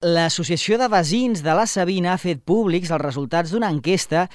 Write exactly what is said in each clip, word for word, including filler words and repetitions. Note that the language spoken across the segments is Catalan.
L'Associació de Veïns de la Savina ha fet públics els resultats d'una enquesta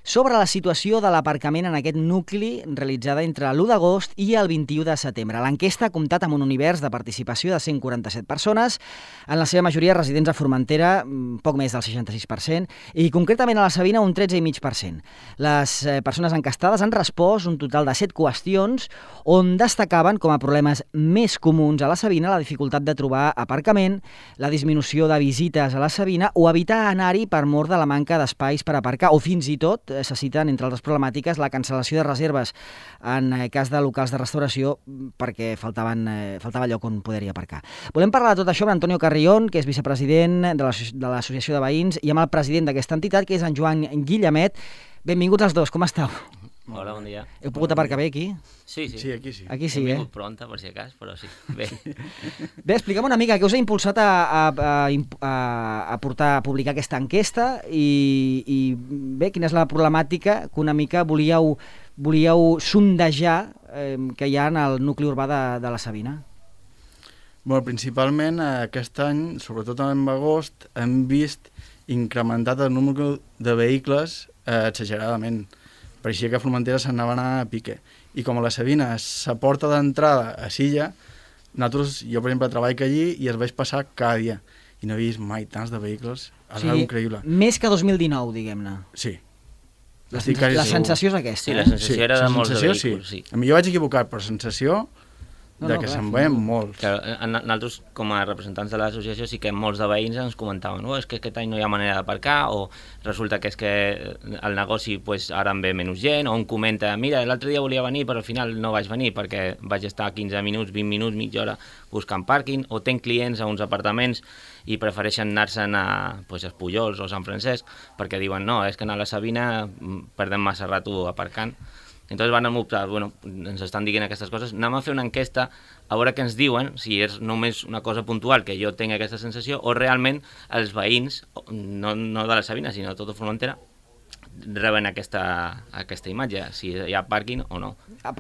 sobre la situació de l'aparcament en aquest nucli realitzada entre l'u d'agost i el vint-i-u de setembre. L'enquesta ha comptat amb un univers de participació de cent quaranta-set persones, en la seva majoria residents a Formentera, poc més del seixanta-sis per cent, i concretament a la Savina un tretze coma cinc per cent. Les persones encastades han respost un total de set qüestions on destacaven com a problemes més comuns a la Savina la dificultat de trobar aparcament, la disminució de visites a la Savina o evitar anar-hi per mor de la manca d'espais per aparcar o fins i tot se citen entre altres problemàtiques la cancel·lació de reserves en cas de locals de restauració perquè faltaven, eh, faltava lloc on poder-hi aparcar. Volem parlar de tot això amb Antonio Carrión, que és vicepresident de l'Associació de Veïns, i amb el president d'aquesta entitat, que és en Joan Guillamet. Benvinguts els dos, com esteu? Hola, bon dia. Heu pogut aparcar bé aquí? Sí, sí. Sí, aquí sí. Aquí sí, Hem eh? vingut pronta, per si acas, però sí. Bé. Bé, explica'm una mica què us ha impulsat a, a, a, a portar a publicar aquesta enquesta i, i bé, quina és la problemàtica que una mica volíeu, volíeu sondejar eh, que hi ha en el nucli urbà de, de la Savina? Bueno, principalment aquest any, sobretot en agost, hem vist incrementat el número de vehicles eh, exageradament. Pareixia que a Formentera se'n anava a anar a pique. I com a la Savina s'aporta d'entrada a Silla, nosaltres, jo per exemple treballo allí i es vaig passar cada dia. I no he vist mai tants de vehicles. És O sigui, increïble. més que dos mil dinou, diguem-ne. Sí. La, Estic sensa quasi la segur. sensació és aquesta, Sí, eh? la sensació Sí, era de la molts de sensació, vehicles, sí. A mi jo vaig equivocar, però sensació No, de no, que clar, se'n sí. veien molts. Clar, nosaltres, com a representants de l'associació, sí que molts de veïns ens comentaven oh, és que aquest any no hi ha manera d'aparcar, o resulta que és que el negoci pues, ara en ve menys gent, o un comenta, mira, l'altre dia volia venir però al final no vaig venir perquè vaig estar quinze minuts, vint minuts, mitja hora buscant pàrquing, o tenc clients a uns apartaments i prefereixen anar-se'n a pues, Espullols o Sant Francesc perquè diuen, no, és que a la Savina perdem massa rato aparcant. Entonces van optar, bueno, ens estan dient aquestes coses, anem a fer una enquesta a veure què ens diuen, si és només una cosa puntual que jo tinc aquesta sensació, o realment els veïns, no, no de la Savina, sinó de tota Formentera, reben aquesta, aquesta imatge, si hi ha pàrquing o no.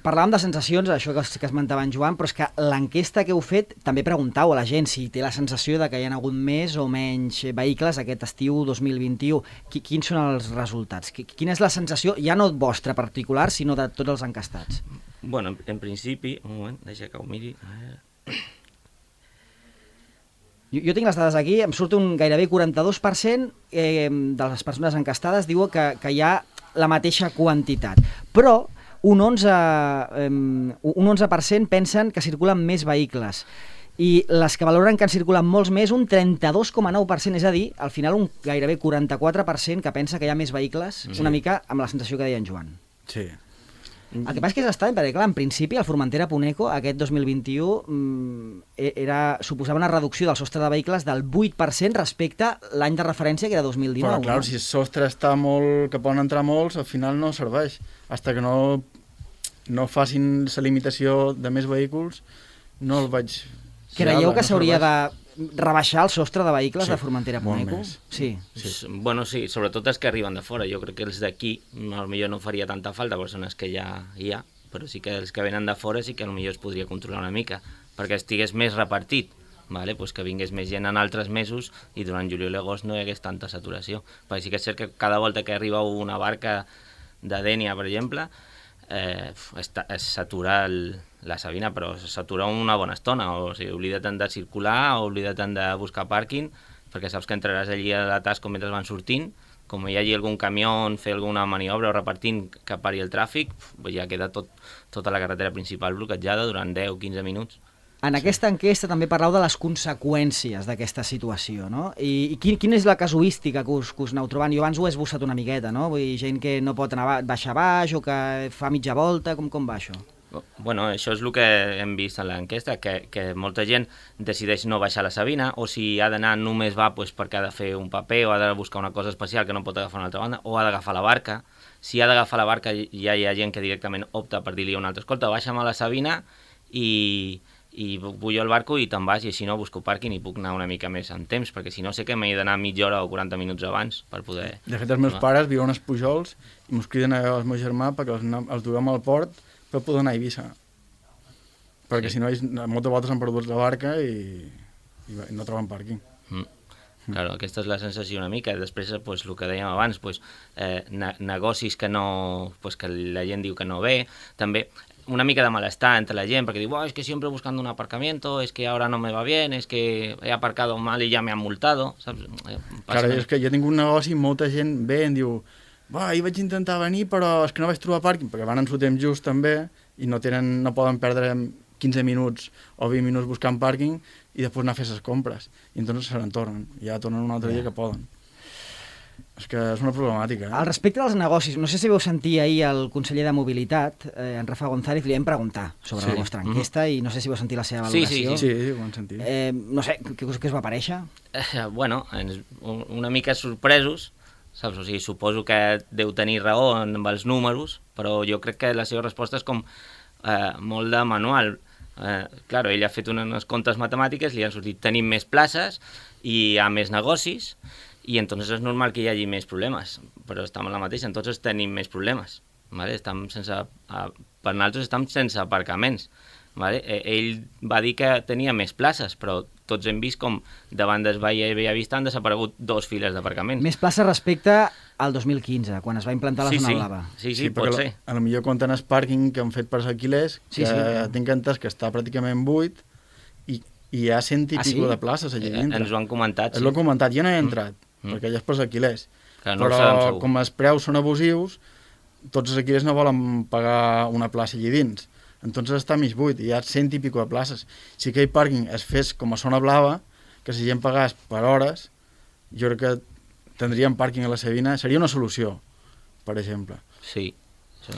Parlàvem de sensacions, això que, que esmentava en Joan, però és que l'enquesta que heu fet també preguntau a la gent si té la sensació de que hi ha hagut més o menys vehicles aquest estiu dos mil vint-i-u. Quins són els resultats? Quina és la sensació, ja no vostra particular, sinó de tots els encastats? Bueno, en, en principi, un moment, deixa que ho miri. Jo, jo tinc les dades aquí, em surt un gairebé quaranta-dos per cent eh, de les persones encastades diuen que, que hi ha la mateixa quantitat, però un onze, eh, un onze per cent pensen que circulen més vehicles i les que valoren que en circulen molts més, un trenta-dos coma nou per cent, és a dir, al final un gairebé quaranta-quatre per cent que pensa que hi ha més vehicles, sí. Una mica amb la sensació que deia en Joan. Sí. El que passa és que és estrany, perquè clar, en principi el Formentera Puneco aquest dos mil vint-i-u mmm, era, suposava una reducció del sostre de vehicles del vuit per cent respecte a l'any de referència que era dos mil dinou. Però clar, no? si el sostre està molt, que poden entrar molts, al final no serveix. Fins que no, no facin la limitació de més vehicles, no el vaig... Creieu que no s'hauria serveix. de rebaixar el sostre de vehicles Sí, de Formentera molt Puneco? més. Sí. Sí. Bueno, sí, sobretot els que arriben de fora. Jo crec que els d'aquí potser no faria tanta falta, perquè són els que ja hi ha, però sí que els que venen de fora sí que potser es podria controlar una mica, perquè estigués més repartit, vale? Pues que vingués més gent en altres mesos i durant juliol i agost no hi hagués tanta saturació. Perquè sí que és cert que cada volta que arriba una barca de Dénia, per exemple, eh, es, es satura el, la Savina, però es satura una bona estona, o sigui, oblida't de circular, oblida't de buscar pàrquing, perquè saps que entraràs allí a l'atasco mentre van sortint, com hi hagi algun camió on fer alguna maniobra o repartint que pari el tràfic, ja queda tot, tota la carretera principal bloquejada durant deu a quinze minuts. En sí. Aquesta enquesta també parlau de les conseqüències d'aquesta situació, no? I, i quin, quina és la casuística que us, que us aneu trobant? Jo abans ho he esbossat una miqueta, no? Vull dir, gent que no pot anar baix a baix o que fa mitja volta, com, com va això? Bueno, això és el que hem vist en l'enquesta, que, que molta gent decideix no baixar a la Savina, o si ha d'anar només va pues, perquè ha de fer un paper o ha de buscar una cosa especial que no pot agafar una altra banda, o ha d'agafar la barca. Si ha d'agafar la barca ja hi ha gent que directament opta per dir-li a un altre, escolta, baixa'm a la Savina i, i pujo al barco i te'n vas, i així no busco pàrquing i puc anar una mica més en temps, perquè si no sé que m'he d'anar mitja hora o quaranta minuts abans per poder... De fet, els meus no? pares viuen als Pujols i mos criden al meu germà perquè els, els duem al port per poder anar a Eivissa. Perquè sí. Si no, moltes voltes han perdut la barca i, i no troben pàrquing. Mm. Claro, aquesta és la sensació una mica. Després, pues, el que dèiem abans, pues, eh, ne negocis que, no, pues, que la gent diu que no ve, també una mica de malestar entre la gent, perquè diu, oh, es que siempre buscando un aparcamiento, es que ahora no me va bien, es que he aparcado mal y ya me han multado, saps? Eh, Claro, és que jo tinc un negoci i molta gent ve i em diu, va, ahir vaig intentar venir però és que no vaig trobar pàrquing, perquè van en su temps just també i no, tenen, no poden perdre quinze minuts o vint minuts buscant pàrquing i després anar a fer les compres. I entonces se n'en tornen, ja tornen un altre dia que poden. És que és una problemàtica. Eh? Al respecte dels negocis, no sé si vau sentir ahir el conseller de Mobilitat, eh, en Rafa González, li vam preguntar sobre Sí. la vostra enquesta mm -hmm. i no sé si vau sentir la seva Sí, valoració. sí, sí. Sí, sí, ho han sentit. Eh, no sé, què, què us va aparèixer? Eh, bueno, ens, una mica sorpresos, saps? O sigui, suposo que deu tenir raó amb els números, però jo crec que la seva resposta és com eh, molt de manual. Eh, claro, ell ha fet unes comptes matemàtiques, li han sortit tenim més places i hi ha més negocis, i entonces és normal que hi hagi més problemes, però estem en la mateixa, entonces tenim més problemes, ¿vale? Estem sense, a, per nosaltres estem sense aparcaments, ¿vale? Ell va dir que tenia més places, però tots hem vist com davant del Valle Bella Vista han desaparegut dos files d'aparcaments. Més places respecte al dos mil quinze, quan es va implantar la sí, zona sí. blava. Sí, sí, Sí, pot perquè ser. a lo millor compten el pàrquing que han fet per alquilers, Sí, que sí. tinc entès que està pràcticament buit i, i hi ha cent i Ah, pico sí? de places allà Eh, dintre. ens ho han comentat, És sí. el comentat, jo no he entrat, Mm. perquè allà és per alquilers. Que no ho Però sabem segur. com els preus són abusius, tots els alquilers no volen pagar una plaça allà dins. Entonces està mig buit, hi ha cent i pico de places. Si aquell pàrquing es fes com a zona blava, que si gent pagàs per hores, jo crec que tindríem pàrquing a la Sabina, seria una solució, per exemple. Sí, sí.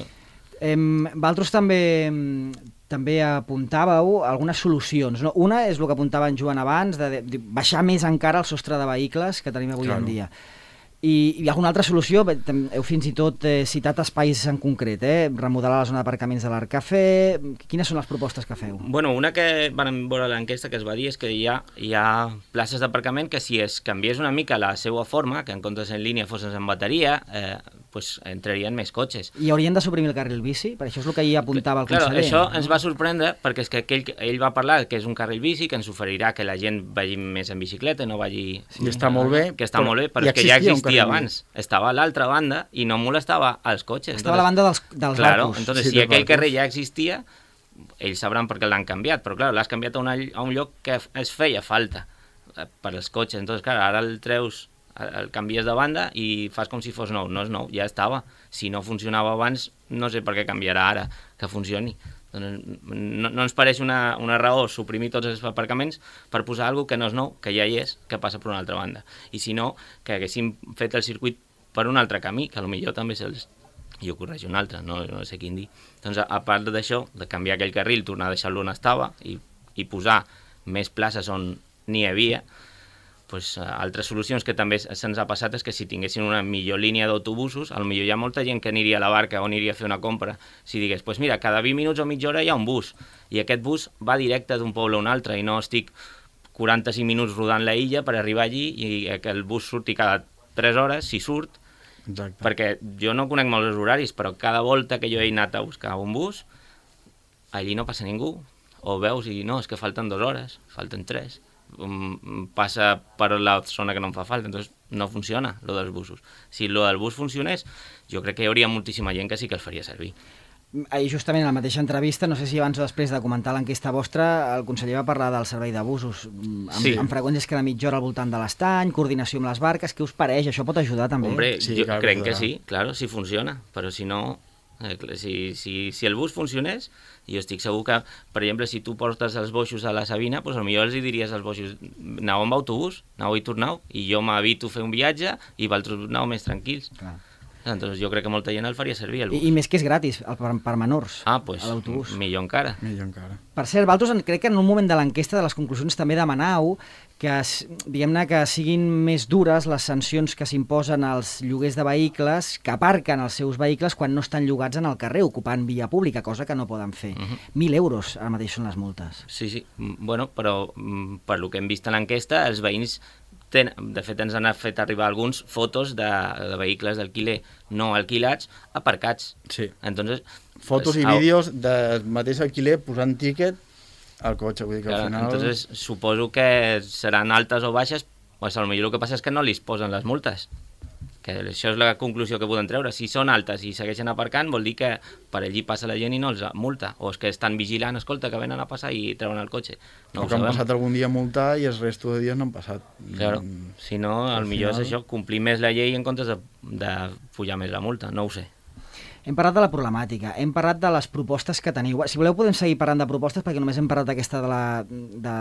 Eh, Valtros també em, també apuntàveu algunes solucions. No? Una és el que apuntava en Joan abans, de, de, de baixar més encara el sostre de vehicles que tenim avui Claro. en dia. I, i alguna altra solució, bé, tem- heu fins i tot eh, citat espais en concret, eh? Remodelar la zona d'aparcaments de l'Arc Cafè. Quines són les propostes que feu? Bueno, una que vam veure a l'enquesta que es va dir és que hi ha, hi ha places d'aparcament que si es canviés una mica la seva forma, que en comptes en línia fossin en bateria, eh, pues entrarien més cotxes. I haurien de suprimir el carril bici? Per això és el que ahir apuntava el Claro, conseller. això ens va sorprendre perquè és que aquell, ell va parlar que és un carril bici, que ens oferirà que la gent vagi més en bicicleta, no vagi... Sí, està molt bé, Que està però molt bé, però ja és que ja existia un existia carril abans. Estava a l'altra banda i no molestava als cotxes. Estava a la banda dels, dels Claro, barcos. entonces Sí, si dels aquell barcos. carrer ja existia, ells sabran per què l'han canviat, però clar, l'has canviat a, una, a un lloc que es feia falta eh, per als cotxes. Entonces, clar, ara el treus, el canvies de banda i fas com si fos nou. No és nou, ja estava. Si no funcionava abans, no sé per què canviarà ara que funcioni. Doncs no, no ens pareix una, una raó suprimir tots els aparcaments per posar alguna que no és nou, que ja hi és, que passa per una altra banda. I si no, que haguéssim fet el circuit per un altre camí, que potser també se'ls i ho corregi un altre, no, no sé quin dir. Doncs a, a part d'això, de canviar aquell carril, tornar a deixar-lo on estava i, i posar més places on n'hi havia, pues, altres solucions que també se'ns ha passat és que si tinguessin una millor línia d'autobusos, potser hi ha molta gent que aniria a la barca o aniria a fer una compra, si digués, pues mira, cada vint minuts o mitja hora hi ha un bus, i aquest bus va directe d'un poble a un altre, i no estic quaranta-cinc minuts rodant la illa per arribar allí i que el bus surti cada tres hores, si surt, Exacte. perquè jo no conec molts horaris, però cada volta que jo he anat a buscar un bus, allí no passa ningú, o veus i no, és que falten dues hores, falten tres, um, passa per la zona que no em fa falta, entonces no funciona lo dels busos. Si lo del bus funcionés, jo crec que hi hauria moltíssima gent que sí que el faria servir. Ahir justament en la mateixa entrevista, no sé si abans o després de comentar l'enquesta vostra, el conseller va parlar del servei de busos, amb, Sí. amb freqüències cada mitja hora al voltant de l'estany, coordinació amb les barques. Què us pareix? Això pot ajudar també? Hombre, Sí, jo clar que crec que ajudarà. sí, claro, si funciona, però si no, eh, si, si, si el bus funcionés, jo estic segur que, per exemple, si tu portes els boixos a la Sabina, doncs potser els hi diries als boixos, aneu amb autobús, aneu i torneu, i jo m'evito fer un viatge i vosaltres aneu més tranquils. Clar. Entonces jo crec que molta gent el faria servir, el bus. I, I més que és gratis, el, per, per menors, Ah, pues, a l'autobús. millor encara. Millor encara. Per cert, Valtros, en- crec que en un moment de l'enquesta de les conclusions també demanau que, es- diguem-ne, que siguin més dures les sancions que s'imposen als lloguers de vehicles que aparquen els seus vehicles quan no estan llogats en el carrer, ocupant via pública, cosa que no poden fer. Mhm. Mil euros ara mateix són les multes. Sí, sí. Mm, Bueno, però mm, per lo que hem vist a l'enquesta, els veïns, ten, de fet ens han fet arribar alguns fotos de, de vehicles d'alquiler no alquilats aparcats. Sí. Entonces, Fotos i au- vídeos del mateix alquiler posant tíquet al cotxe, vull dir que Claro, al final... entonces suposo que seran altes o baixes pues potser el que passa és que no li posen les multes. Que això és la conclusió que poden treure. Si són altes i segueixen aparcant, vol dir que per allí passa la gent i no els multa. O és que estan vigilant, escolta, que venen a passar i treuen el cotxe. No o que han passat algun dia a multar i el resto de dies no han passat. Claro. Si no, el millor final... és això, complir més la llei en comptes de, de pujar més la multa. No ho sé. Hem parlat de la problemàtica, hem parlat de les propostes que teniu. Si voleu podem seguir parlant de propostes, perquè només hem parlat d'aquesta de la, de,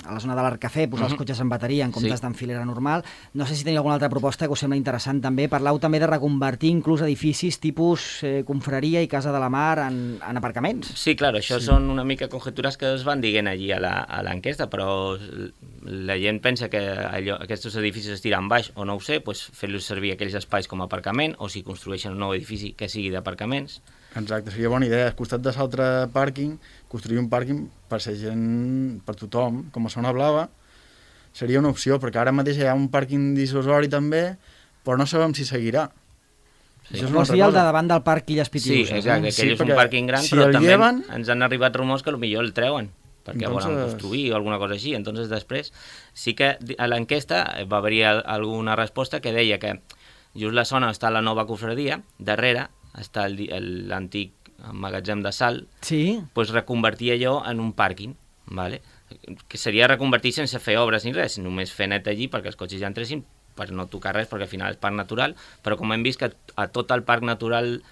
a la zona de l'Arc Cafè, posar uh -huh. els cotxes en bateria en comptes sí. d'enfilera normal. No sé si teniu alguna altra proposta que us sembla interessant també. Parlau també de reconvertir inclús edificis tipus eh, confraria i Casa de la Mar en, en aparcaments. Sí, clar, això sí. són una mica conjectures que es van dient allí a l'enquesta, però la gent pensa que allò, aquests edificis es tiren baix o no ho sé, doncs fer-los servir aquells espais com a aparcament, o si construeixen un nou edifici que sigui d'aparcaments. Exacte, seria bona idea. Al costat de l'altre pàrquing, construir un pàrquing per ser gent, per tothom, com a zona blava, seria una opció, perquè ara mateix hi ha un pàrquing dissuasori també, però no sabem si seguirà. Sí. Vols dir el de davant del parc Illes Pitiuses? Sí, exacte, eh? aquell sí, és un pàrquing gran, si però també lleven... ens han arribat rumors que potser el treuen, perquè entonces... volen construir o alguna cosa així. Entonces després sí que a l'enquesta va haver-hi alguna resposta que deia que just la zona està la nova cofradia, darrere està l'antic magatzem de sal, sí. pues reconvertir allò en un pàrquing, vale? Que seria reconvertir sense fer obres ni res, només fer net allí perquè els cotxes ja entressin, per no tocar res, perquè al final és parc natural, però com hem vist que a tot el parc natural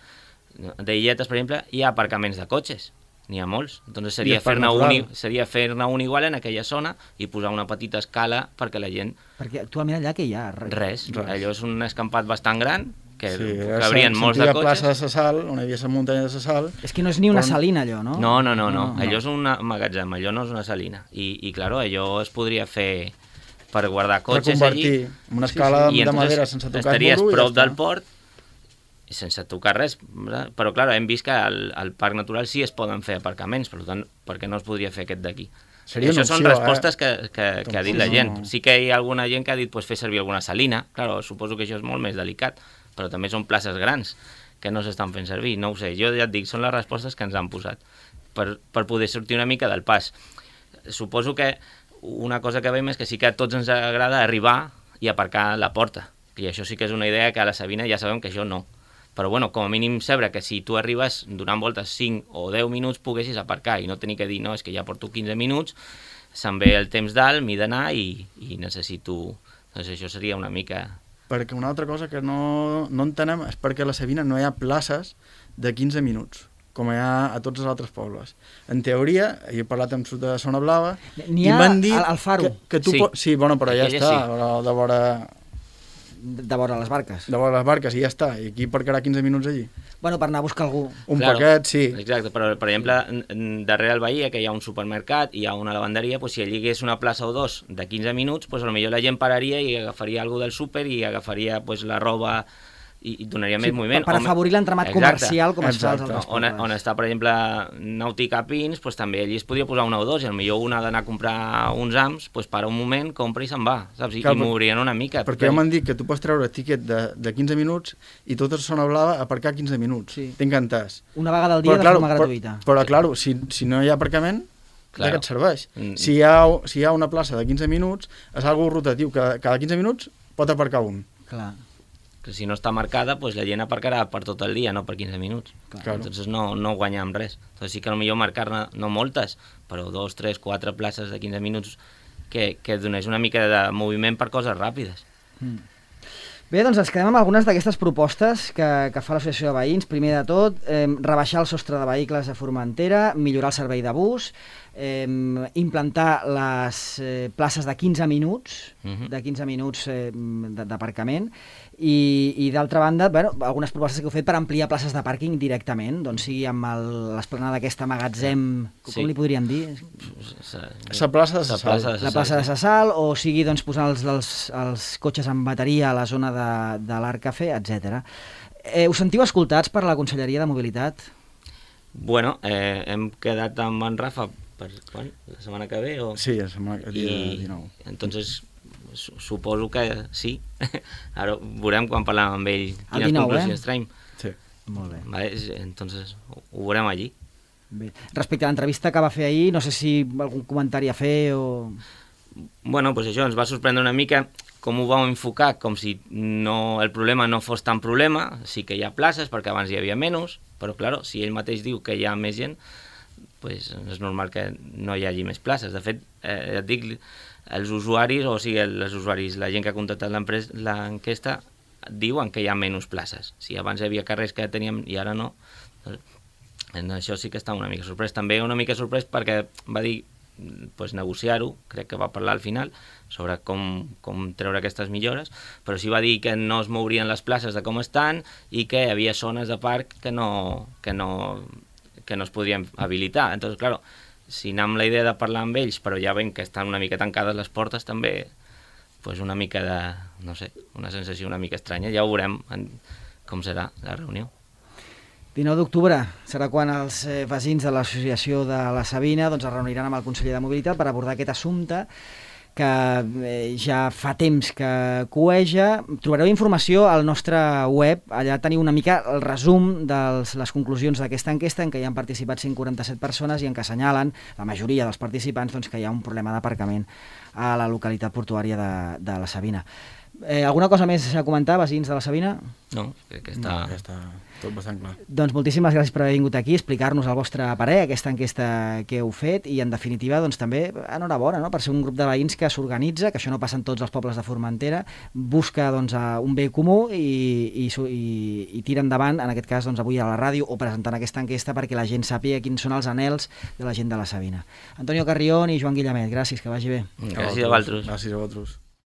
d'Illetes, per exemple, hi ha aparcaments de cotxes, n'hi ha molts, doncs seria fer-ne un, seria fer-ne un igual en aquella zona i posar una petita escala perquè la gent... Perquè actualment allà què hi ha? Res, res. res. Allò és un escampat bastant gran, que sí, cabrien molts de cotxes. Plaça de la Sal, on hi havia la muntanya de la Sal. És que no és ni una salina, allò, no? No, no, no, no. no. Allò és un magatzem, allò no és una salina. I, i claro, allò es podria fer per guardar cotxes allí. Reconvertir una escala sí, sí. de madera sense tocar el estaries prop del port, sense tocar res, però clar, hem vist que al, al parc natural sí es poden fer aparcaments, per tant, per què no es podria fer aquest d'aquí? Això opció, són respostes eh? que, que, que ha dit la gent. No. Sí que hi ha alguna gent que ha dit pues, fer servir alguna salina, clar, suposo que això és molt més delicat, però també són places grans que no s'estan fent servir, no ho sé, jo ja et dic, són les respostes que ens han posat per, per poder sortir una mica del pas. Suposo que una cosa que veiem és que sí que a tots ens agrada arribar i aparcar a la porta, i això sí que és una idea que a la Sabina ja sabem que això no. Però bueno, com a mínim saber que si tu arribes donant voltes cinc o deu minuts poguessis aparcar i no tenir que dir, no, és que ja porto quinze minuts, se'm ve el temps dalt, m'hi d'anar i, i necessito... Doncs això seria una mica... Perquè una altra cosa que no, no entenem és perquè a la Sabina no hi ha places de quinze minuts, com hi ha a tots els altres pobles. En teoria, jo he parlat amb sud de Zona Blava, i m'han dit... Al Faro. Que, que tu sí. Po... sí, bueno, però ja està, sí. de vora... de vora les barques. De vora les barques, i ja està. I aquí parcarà quinze minuts allí. Bueno, per anar a buscar algú. Un claro, paquet, sí. Exacte, però per exemple, darrere el Bahia, que hi ha un supermercat i hi ha una lavanderia, pues, si allí hi hagués una plaça o dos de quinze minuts, pues, potser la gent pararia i agafaria alguna del súper i agafaria pues, la roba i, i donaria sí, més moviment. Per afavorir l'entramat comercial com es fa als altres on, on està, per exemple, Nàutica Pins, pues, també allí es podria posar una o dos, i potser una ha d'anar a comprar uns ams, pues, para un moment, compra i se'n va, saps? I, Cal, i m'obrien una mica. Perquè ja m'han dit que tu pots treure tiquet de, de quinze minuts i tota la Zona Blava aparcar quinze minuts. Sí. Tinc entès. Una vegada al dia però, de claro, forma gratuïta. Però, però clar, si, si no hi ha aparcament, claro. De què et serveix? Mm. Si, hi ha, si hi ha una plaça de quinze minuts, és algo rotatiu, que cada quinze minuts pot aparcar un. Clar. Que si no està marcada, pues la gent aparcarà per tot el dia, no per quinze minuts. Claro. Entonces no, no guanyem res. Entonces sí que potser marcar-ne, no moltes, però dos, tres, quatre places de quinze minuts que, que donés una mica de moviment per coses ràpides. Mm. Bé, doncs ens quedem amb algunes d'aquestes propostes que, que fa l'Associació de Veïns. Primer de tot, eh, rebaixar el sostre de vehicles a Formentera, millorar el servei de bus, eh, implantar les eh, places de quinze minuts, uh-huh. de quinze minuts eh, d'aparcament, i, i d'altra banda, bueno, algunes propostes que heu fet per ampliar places de pàrquing directament, doncs sigui amb l'esplanada d'aquesta magatzem, com sí. li podríem dir? La plaça de la Sal. La plaça de la Sal, o sigui doncs, posar els, els, els cotxes en bateria a la zona de, de l'Arc Cafè, etcètera. Eh, us sentiu escoltats per la Conselleria de Mobilitat? Bueno, eh, hem quedat amb en Rafa per quan? La setmana que ve? O... Sí, la setmana que ve, dinou. Entonces... suposo que sí. Ara veurem quan parlem amb ell quines dinou, conclusions eh? traiem. Sí. Molt bé. Vale, entonces ho veurem allí. Bé. Respecte a l'entrevista que va fer ahir, no sé si algun comentari a fer o... bueno, pues això ens va sorprendre una mica com ho vau enfocar, com si no, el problema no fos tan problema, sí que hi ha places, perquè abans hi havia menys, però, clar, si ell mateix diu que hi ha més gent, pues, és normal que no hi hagi més places. De fet, eh, et dic, els usuaris, o sigui, els usuaris, la gent que ha contactat l'enquesta, diuen que hi ha menys places. Si abans hi havia carrers que teníem i ara no, doncs, en això sí que està una mica sorprès. També una mica sorprès perquè va dir pues, negociar-ho, crec que va parlar al final, sobre com, com treure aquestes millores, però sí va dir que no es mourien les places de com estan i que hi havia zones de parc que no, que no, que no es podien habilitar. Entonces, claro, si anem amb la idea de parlar amb ells, però ja veiem que estan una mica tancades les portes, també pues una mica de, no sé, una sensació una mica estranya. Ja ho veurem en, com serà la reunió. dinou d'octubre serà quan els eh, veïns de l'associació de la Sabina doncs, es reuniran amb el conseller de Mobilitat per abordar aquest assumpte que eh, ja fa temps que cueja. Trobareu informació al nostre web, allà teniu una mica el resum de les conclusions d'aquesta enquesta en què hi han participat cent quaranta-set persones i en què assenyalen, la majoria dels participants, doncs, que hi ha un problema d'aparcament a la localitat portuària de, de la Sabina. Eh, alguna cosa més a comentar, veïns de la Sabina? No, crec que està... No, ja està tot bastant clar. Doncs moltíssimes gràcies per haver vingut aquí, explicar-nos el vostre parer, aquesta enquesta que heu fet, i en definitiva doncs, també enhorabona, no?, per ser un grup de veïns que s'organitza, que això no passa en tots els pobles de Formentera, busca doncs, un bé comú i, i, i, i tira endavant, en aquest cas doncs, avui a la ràdio o presentant aquesta enquesta perquè la gent sàpiga quins són els anhels de la gent de la Sabina. Antonio Carrión i Joan Guillamet, gràcies, que vagi bé. Gràcies a vosaltres. Gràcies a vosaltres.